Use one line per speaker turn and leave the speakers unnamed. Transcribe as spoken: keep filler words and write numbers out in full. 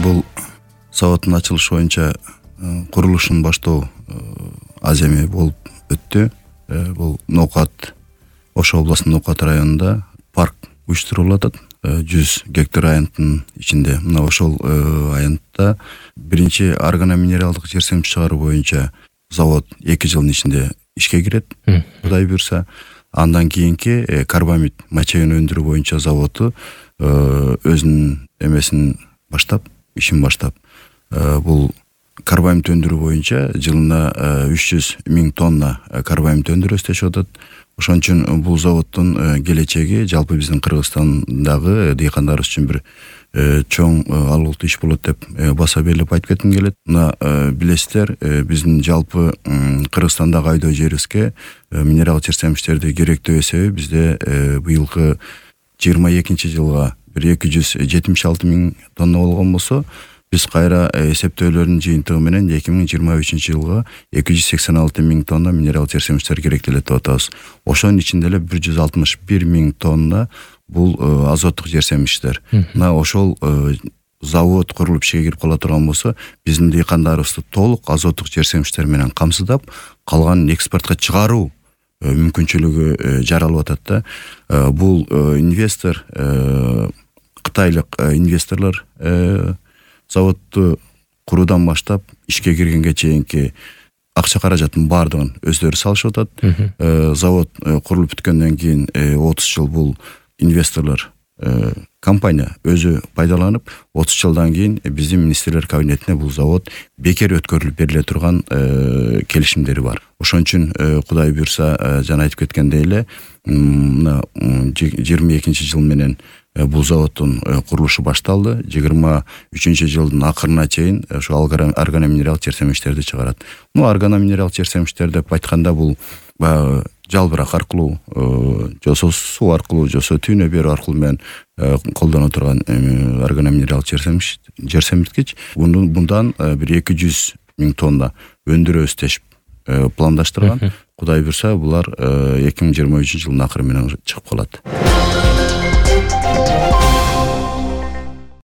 Бул заводдун ачылышы боюнча курулушун баштоо аз эме болуп өттү. Бул Ноокат, Ош областынын Ноокат районунда парк уюштурулуп атат. жүз гектар аянттын ичинде. Мына ошол аянтта биринчи органоминералдык жер семиз чыгаруу боюнча завод эки жылдын ичинде ишке кирет. Кудай буйрса, андан кийинки карбамид мочеюн өндүрүү боюнча заводу өзүнүн эмесин баштап, ишин баштап, бул карбамид өндүрүү боюнча жылына үч жүз миң тонна карбамид өндүрөбүз деп атат. Ошон үчүн бул заводдун келечеги жалпы биздин Кыргызстандагы дыйкандарыбыз үчүн бир чоң алгылуу иш болот деп баса белип айтып кетким келет. Мына билесиздер, биздин жалпы Кыргызстандагы айдоо жерибизге минерал жер семиштерди керектөө эсеби бизде быйылкы жыйырма экинчи жылга бир эки жүз жетимиш алты миң тонна болгон болсо, биз кайра эсептөөлөрдүн жыйынтыгы менен эки миң жыйырма үчүнчү жылга эки жүз сексен алты миң тонна минерал жер семиштер керектелет деп атабыз. Ошонун ичинде эле бир жүз алтымыш бир миң тонна бул азоттук жер семиштер. Мына ошол завод курулуп ишке кирип кала турган болсо, биздин дыйкандарыбызды толук азоттук жер семиштер менен камсыздап, калганын экспортко чыгаруу мүмкүнчүлүгү жаралып атат да. Бул инвестор, кытайлык инвесторлор заводду куруудан баштап ишке киргенге чейинки акча каражаттын баардыгын өздөрү салышып атат. Завод курулуп бүткөндөн кийин отуз жыл бул инвесторлор, компания өзү пайдаланып, отуз жылдан кийин биздин министрлер кабинетине бул завод бекер өткөрүлүп бериле турган келишимдери бар. Ошон үчүн Кудай буйрса, жана айтып кеткендей эле, мына жыйырма экинчи жыл менен бул заводдун курулушу башталды. жыйырма үчүнчү жылдын акырына чейин ошо органоминерал жер семиштерди чыгарат. Ну, органоминерал жер семиштер деп айтканда бул баягы жалбырак аркылуу, жосо суу аркылуу, жосо түйнө берүү аркылуу менен колдоно турган органоминерал жер семиш, жер семирткич. Bundan бир эки жүз миң тонна өндүрөбүз деп пландаштырган. Кудай буйрса, булар эки миң жыйырма үчүнчү жылдын акыры менен чыгып калат.